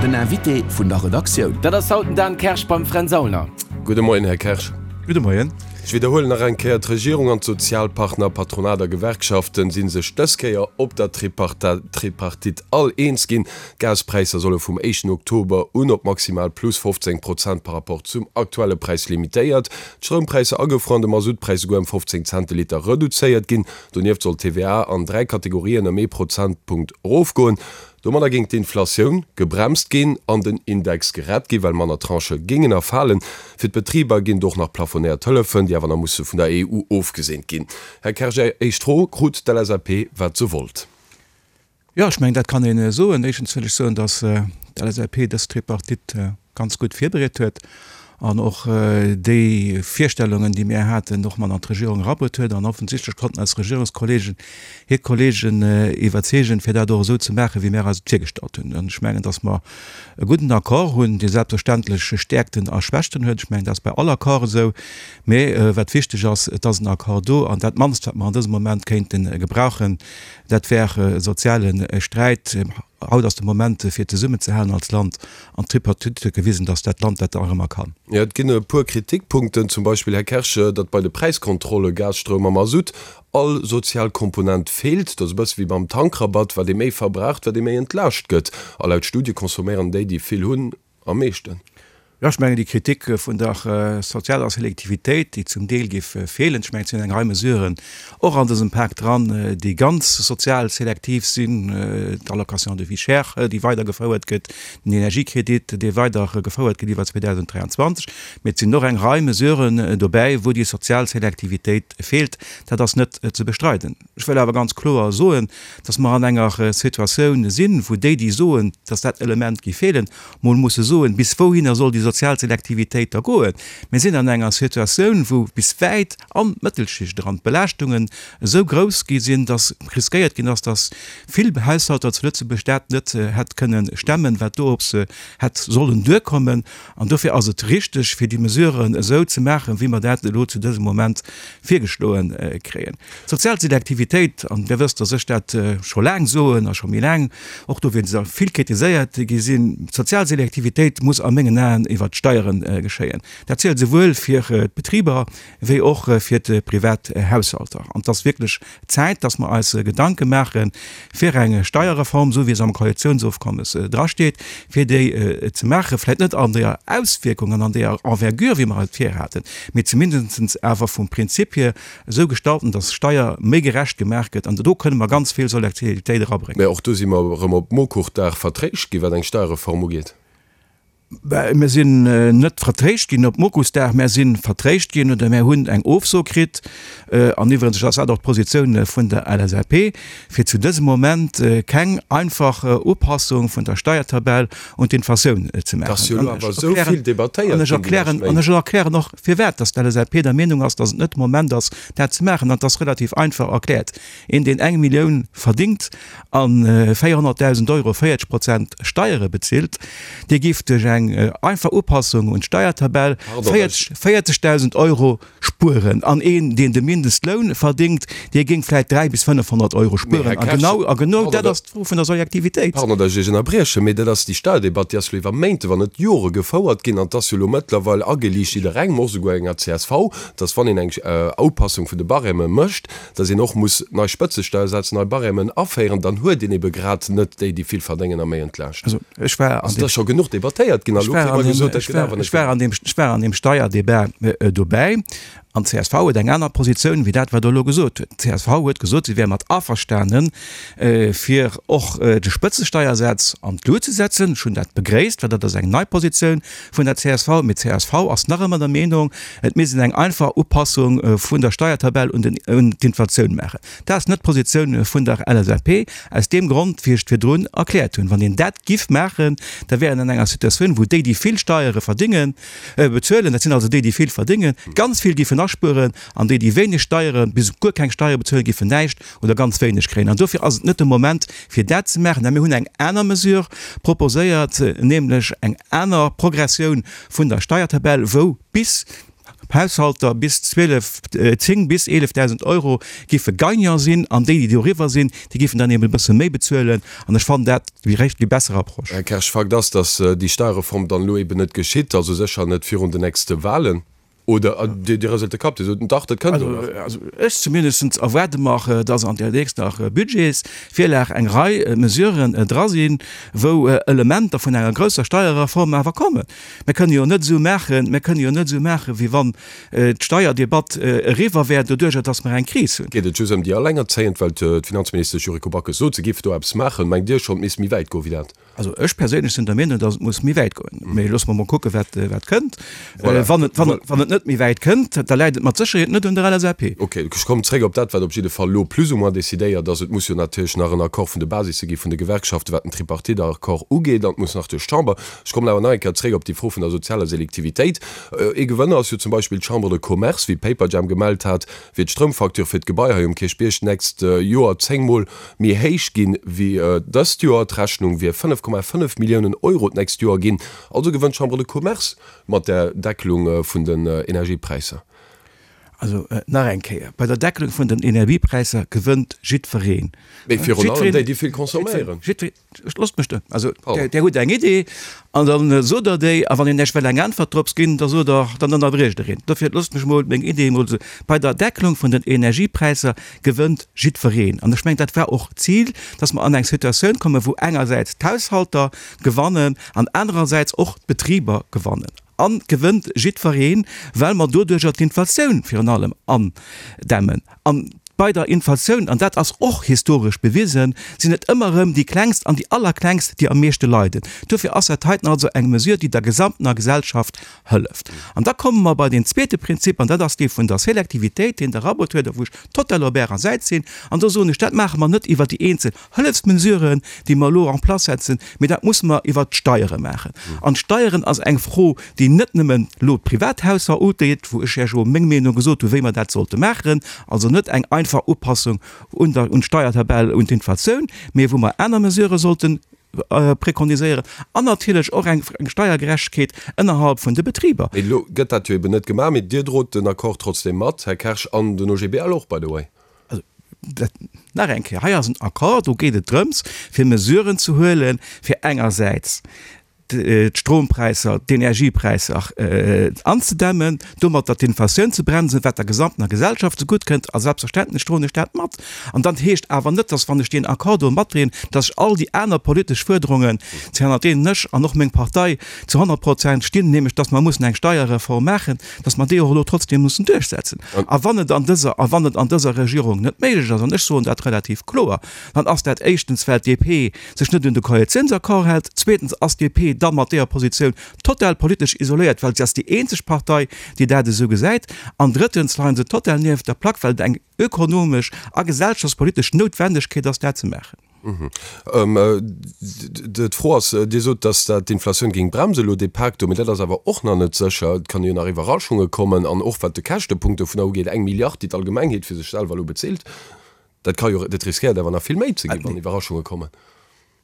Den Invité vun der Redaktioun. Dat ass haut den Dan Kersch beim Fränz Aulner. Gudde Moien, Här Kersch. Gudde Moien. Ech widderhuelen nach eng Kéier, D'Regierung an d'Sozialpartner, Patronat a Gewerkschaften, si sech dës Kéier op der Tripartite all eens ginn. D'Gaspräisser solle vum éischten Oktober un op maximal plus 15 Prozent par rapport zum aktuelle Präis limitéiert, d'Stroumpräisser agefruer an de Masuttpräis esouguer ëm 15 Cent de Liter reduzéiert ginn. Donieft soll d'TVA an 3 Kategorien ëm ee Prozentpunkt erofgoen. Domadder géing d'Inflatioun gebremst ginn an den Index gerett ginn, well manner Tranchë géingen erfalen. Fir d'Betriber ginn et och nach plafonéiert Hëllefen, déi awer nach musse vun der EU ofgeseent ginn. Här Kersch, Är éischt Fro, Krut d'LSAP wat se wollt? Jo, ech mengen, dat kann ee soen. Éischtens wëll ech soen, datt d'LSAP dës Tripartite ganz gutt virbereet huet an och déi Virstellungen, déi mir haten, och mat an d'Regierung erabruet huet. An offensichtlech konnten eis Regierungskollegen hir Kollegen iwwerzeegen, fir dat och esou ze maachen, wéi mir eis et virgestallt hunn. An ech mengen, datt mer e gudden Accord hunn, dee selbstverständlech Stäerkten a Schwächten huet. Ech mengen, dat ass bei all Accord esou. Mee wat wichteg ass, et ass en Accord do. An dat mannst, wat mer an dësem Moment kéinte gebrauchen, dat wär e soziale Sträit. Haut ass de Moment fir zesummenzehalen als Land an d'Tripartite huet gewisen, datt dat Land dat nach ëmmer kann. Jo, et ginn e puer Kritikpunkten, zum Beispill, Här Kersch, datt bei de Präiskontrolle, Gas, Stroum a Masutt, all sozial Komponent feelt. Dat ass e bësse wéi beim Tankrabatt, wat ee méi verbraucht, wat ee méi entlaascht gëtt. A laut Studie consomméieren déi, déi vill hunn, am meeschten. Jo, ech mengen, déi Kritik vun der sozialer Selektivitéit, déi zum Deel géif feelen, ech mengen, et sinn eng Rei Mesuren och an dësem Pak dran, déi ganz sozial selektiv sinn, d'Allocation de vie chère, déi weidergefouert gëtt, den Energiekredit, dee weidergefouert gëtt iwwer 2023, mee et sinn och eng Rei Mesuren dobäi, wou déi sozial Selektivitéit feelt. Dat ass net ze bestreiden. Ech wëll awer ganz kloer soen, dass mer an enger Situatioun sinn, wou déi, déi soen, dass dat Element géif feelen, mol musse soen, bis wouhinner soll déi sozial Selektivitéit da goen. Mir sinn an enger Situatioun, wou bis wäit an d'Mëttelschicht eran d'Belaaschtungen esou grouss gi sinn, dass riskéiert ginn ass, dass vill Haushalter zu Lëtzebuerg dat net hätt kënnen stemmen, wat do op se hätt sollen duerkommen. An dofir ass et richtig, fir déi Mesuren esou ze maachen, wéi mer dat elo zu dësem Moment virgeschloe kréien. D'sozial Selektivitéit, an Dir wësst, dass ech dat scho laang soen a scho méi laang och dowéinst vill kritiséiert gi sinn, d'sozial Selektivitéit muss a mengen Aen iwwert d'Steiere geschéien. Dat zielt esouwuel fir d'Betriber wéi och fir d'privat Haushalter. An et ass wierklech Zäit, dass mer eis Gedanke maache fir eng Steierreform, esou wéi se am Koalitionsofkommes drasteet, fir déi ze maachen, vläicht net an deeër Auswierkung an an deeër Envergure, wéi mer et virhaten, mee zumindest awer vum Prinzip hier esou gestalten, dass Steier méi gerecht gemaach gëtt, an do kënne mer ganz vill Solidaritéit erabréngen. Mä och do si mer erëm op Mokuchdag vertréischt ginn, wat eng Steierreform ugeet. Mir sinn net vertréischt ginn op Mokuchsdag, mär si vertréischt ginn oder mär hunn eng Ofso kritt, an iwwregens ass dat och d'Positioun vun der LSAP, fir zu dësem Moment keng einfach Upassung vun der Steiertabell un d'Inflatioun ze maachen. Dass jo elo awer esou vill debattéiert ginn déi lescht Méint. An ech erklären och, firwat dass d'LSAP der Meenung ass, dass et net de Moment ass, dat ze maachen. An et ass relativ einfach erkläert, Een, deen eng Millioun verdingt a 400.000 Euro 40 Prozent Steiere bezilt, dee géif duerch eng einfach Upassung un d'Steiertabell 40.000 Euro spueren. An een, deen de Mindestloun verdingt, dee géing vläit 300 bis 500 Euro spueren. A genau, a genau dat ass d'Fro vun der Soljaktivitéit. Pardon, datt ech Iech ënnerbriechen, mee dat ass déi Steierdebatt, déi ass elo iwwer Méinte, wann net Jore gefouert ginn. An et ass jo elo mëttlerweil ageliicht jidderengem, och souguer enger csv, datt wann een eng Upassung vun de Barèmen mécht, datt een och muss nei Spëtzesteiersätz, nei Barèmen aféieren. Dann huet een ebe grad net déi, déi vill verdéngen a méi entlaascht. Also ech war an deem. Et ass scho genuch debattéiert ginn a lo kritt mer gesot, dat gëtt awer net gemaach. Ech war an deem Steierdebat dobäi an d'CSV huet eng aner Positioun wéi dat, wat Der elo gesot hutt. D'CSV huet gesot, si wär mat averstanen, fir och de Spëtzesteiersaz an d'Lut ze setzen. Ech hunn dat begréisst, well dat ass eng nei Positioun vun der csv. Mee d'CSV ass nach ëmmer der Meenung, et misst een eng einfach Upassung vun der Steiertabell un d'Inflatioun maachen. Dat ass net d'Positioun vun der LSAP, aus deem Grond, wéi ech et virdrun erkläert hunn. Wann een dat giff maachen, da wär een an enger Situatioun, wou déi, déi vill Steiere verdingen, bezuelen, dat sinn also déi, déi vill verdingen, ganz vill giffen aspueren, an déi, déi wéineg Steiere bis guer keng Steiere bezuelen, giffen näischt oder ganz wéineg kréien. An dofir ass et net de Moment, fir dat ze maachen. Mä mir hunn eng aner Mesure proposéiert, nämlech eng aner Progressioun vun der Steiertabell, wou bis. Haushalter bis 12, 10 bis 11.000 Euro géife Gagnant sinn an déi, déi doriwwer sinn, déi géifen dann eben e bësse méi bezuelen. An ech fannen dat déi récht, déi besser Approche. Här Kersch, Fakt ass, datt déi Steierreform dann elo eben net geschitt, also sécher net virun den nächste Wahlen. Oder Dir rëselt de Kapp, Dir sot, dach, dat kënnt elo nach. Also ech zumindest erwaarde mer, datt an där nächster Budgetsvirlag eng Rei Mesuren dra sinn, wou Elementer vun enger grousser Steierreform awer kommen. Mir kënne jo net esou maachen, mir kënne jo net esou maachen, wéi wann d'Steierdebatt eriwwer wär, doduerjer datt mer eng Kris hunn. Geet et just ëm déi Allengerzéiend, well d'Finanzministesch Yuriko Backes sot, se géif do eppes maachen. Mengt Dir schonn, et misst méi wäit goen wéi dat? Also ech perséinlech sinn der Meenung, datt et muss méi wäit goen. Mee loosse mer mol kucken, wat wat kënnt. Wann et, wann et, wann et net méi wäit kënnt, da läit et mat Sécherheet net un der LSAP. Ok, ech kommen zréck op dat, wat op jidde Fall elo plus ou moins decidéiert ass. Et muss jo natierlech nach en Accord vun de Basisse gi vun de Gewerkschaften, wat den Tripartite-Accord ugeet, an et muss nach duerch d'Chamber. Ech kommen awer nach eng Kéier zréck op déi Fro vun der sozialer Selektivitéit. Ee Gewënner ass jo zum Beispill d'Chambre de Commerce. Wéi Paperjam gemellt hat, wier d'Stroumfacture fir d'Gebai hei um Kierchbierg d'nächst Joer zéngmol méi héich ginn, wéi dëst Joer. D'Rechnung wier 5,5 Milliounen Euro d'nächst Joer ginn. Also gewënnt d'Chambre de Commerce mat där Deckelung vun den Energiepräisser. Also nach eng Kéier, Bei der Deckelung vun den Energiepräisser gewënnt jiddwereen. Mee virun allem déi, déi vill consomméieren. Jiddwereen. Loosst mech do. Also Der hutt eng Idee an da sot Der déi, a wann een Iech wëll eng Äntwert drops ginn, da sot Der, dann ënnerbriecht Der een. Dofir loosst mech emol meng Idee emol soen. Bei der Deckelung vun den Energiepräisser gewënnt jiddwereen. An ech mengen, dat war och d'Zil, dass mer an eng Situatioun kommen, wou engersäits d'Haushalter gewannen an anerersäits och d'Betriber gewannen. A gewënnt jiddwereen, well mer doduerjer d'Inflatioun virun allem andämmen. An bei der Inflatioun, an dat ass och historesch bewisen, sinn et ëmmer erëm déi Klengst an déi Allerklengst, déi am meeschte leiden. Dofir ass dat heiten also eng Mesure, déi der gesamtener Gesellschaft hëlleft. An da komme mer bei deen zweete Prinzip, an dat ass dee vun der Selektivitéit, deen de Rabot huet a wou ech total op Ärer Säit sinn. An do soen ech, dat maache mer net iwwer déi eenzel Hëllefsmesuren, déi mer elo en place setzen, mee dat musse mer iwwert d'Steiere maachen. An d'Steieren ass eng Fro, déi net nëmmen elo d'Privathausser ugeet, wou ech Iech elo meng Meenung gesot hu wéi mer dat sollte maachen, also net eng einfach Upassung un der, un d'Steiertabell, un d'Inflatioun, mee wou mer aner Mesurë sollte preconiséieren an natierlech och eng Steiergerechtegkeet ënnerhalb vun de Betriber. Mee elo gëtt dat jo eben net gemaach, mee Dir drot den Accord trotzdem mat, Här Kersch, an den OGBL och, by the way. Also, dat, nach eng Kéier, hei ass en Accord, do geet et drëms, fir Mesuren ze huelen, fir engersäits d'Strompräisser, d'Energiepräisser anzedämmen, domatter d'Inflatioun ze bremsen, wat der gesamtener Gesellschaft zegutt kënnt. A selbstverständlech droen ech dat mat. An dat heescht awer net, dass, wann ech deen Accord do matdroen, dass ech all déi aner politesch Fuerderungen, hanner deenen ech an och meng Partei zu 100 Prozent stinn, nämlech dass mer mussen eng Steierreform maachen, dass mer déi och elo trotzdem mussen duerchsetzen. A wann et an dëser, a wann et an dëser Regierung net méiglech ass, an ech soen dat relativ kloer, dann ass dat éischtens, well d'DP sech net un de Koalitiounsaccord hält, zweetens ass d'DP da mat deeër Positioun total politesch isoléiert, well si ass déi eenzeg Partei, déi dat esou gesäit, an drëttens leie se total nieft der Plack, well et eng ökonomesch a gesellschaftspolitesch Noutwendegkeet ass, dat ze maachen. D'Fro ass, Dir sot, datt dat d'Inflatioun géing bremsen elo, dee Pak do, mee dat ass awer och nach net sécher. Et kann jo nach Iwwerraschunge kommen. An och wat de Käschtepunkt dovunner ugeet, eng Milliard, déi d'Allgemengheet fir sech selwer elo bezilt, dat ka jo, dat riskéiert awer nach vill méi ze ginn, wann Iwwerraschunge kommen.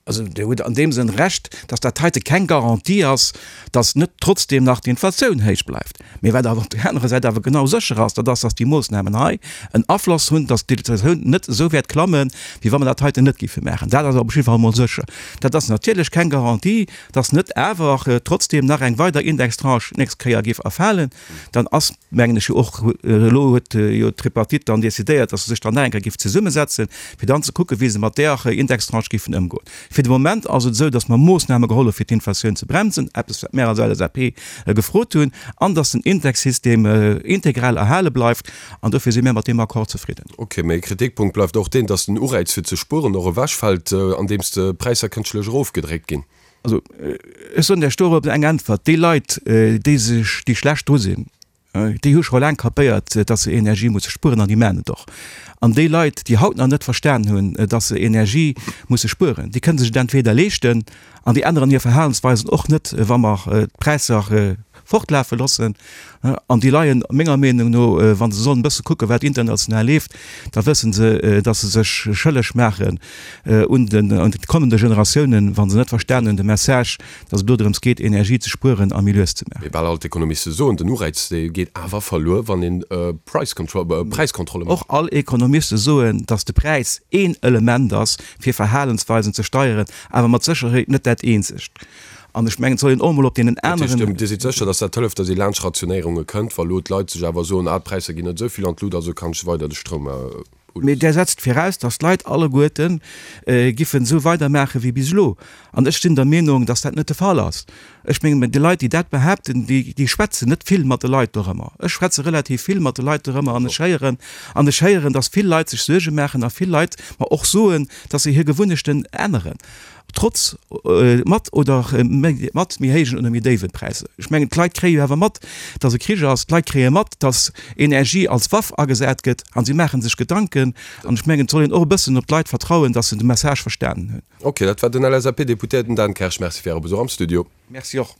Also Dir hutt an deem Sënn Recht, datt dat heite keng Garantie ass, datt net trotzdeem nach d'Inflatioun héich bleift. Mee wat awer op där anerer Säit awer genau sécher ass, dat ass, datt déi Moossnamen hei en Afloss hunn, datt d'Inflatioun net esou wäert klammen, wéi wa mer dat heiten net géife maachen. Dat ass op jidde Fall emol sécher. Dat ass natierlech keng Garantie, datt net awer trotzdeem nach eng weider Indextranche d'nächst Kéier géif erfalen. Dann ass, mengen ech jo och, elo huet jo d'Tripartite dann decidéiert, datt se sech dann nach eng Kéier géif zesummesetzen, fir dann ze kucken, wéi se mat där Indextranche géifen ëmgoen. Fir de Moment ass et esou, datt mer Moossname geholl hu fir d'Inflatioun ze bremsen, eppes wat mär als LSAP gefrot hunn, an datt den Indexsystem integral erhale bleift. An dofir si mär mat deem Accord zefridden. Ok, mee e Kritikpunkt bleift och deen, datt den Ureiz fir ze spueren och ewechfält, andeems d'Präisser kënschtlech erofgedréckt ginn. Also ech soen Iech dorop eng Äntwert, Déi Leit, déi sech, déi schlecht dru sinn, Déi hu scho laang kapéiert, dass se Energie musse spueren an déi maachen et och. An déi Leit, déi haut nach net verstan hunn, dass se Energie musse spueren, déi kënne sech et entweder leeschten an déi änneren hir Verhalensweisen och net, wa mer d'Präisser. fortlafe loossen. An déi leien, menger Meenung no, wa se sollen e bësse kucken, wat international leeft, da wësse se, datt se sech schëlleg maachen un den kommende Generatiounen, wa se net verstanen hunn de Message, datt et elo drëms geet, Energie ze spueren a méi lues ze maachen. Mee bal all d'Ekonomiste soen, den Ureiz, dee geet awer verluer, wann een Präiskontrolle mécht. Och all Ekonomiste soen, datt de Präis een Element ass, fir Verhalensweisen ze steieren, awer mat Sécherheet net dat eenzegt. An ech mengen, et soll een och emol op deenen aneren. Dat heescht, Dir sidd sécher, datt dat hëlleft, datt ee laanscht Rationéierunge kënnt, wa lo d'Leit sech awer soen, ah, d'Präisser ginn net esou vill an d'Lut, also kann ech weider de Stroum uloossen. Mee där setzt viraus, datt d'Leit alleguerte giffen esou weidermaache wéi bis elo. An ech sinn der Meenung, datt dat net de Fall ass. Ech mengen, déi Leit, déi dat behaapten, déi schwätzen net vill mat de Leit dorëmmer. Ech schwätze relativ vill mat de Leit dorëmmer an ech héieren, an ech héieren, datt vill Leit sech Suerge maachen a vill Leit mer och soen, datt se hir Gewunnechten änneren. Trotz, mat oder mat méi héijen oder méi déiwen Präisser. Ech mengen, d'Leit kréie jo awer mat, datt e Krich ass. D'Leit kréie mat, datt Energie als Waff agesat gëtt a si maache sech Gedanken. An ech mengen, et soll een och e bëssen op d'Leit vertrauen, datt se de Message verstanen hunn. Ok, dat war den LSAP-Deputéierten Dan Kersch. Merci fir Äre Besuch am Studio. Merci och.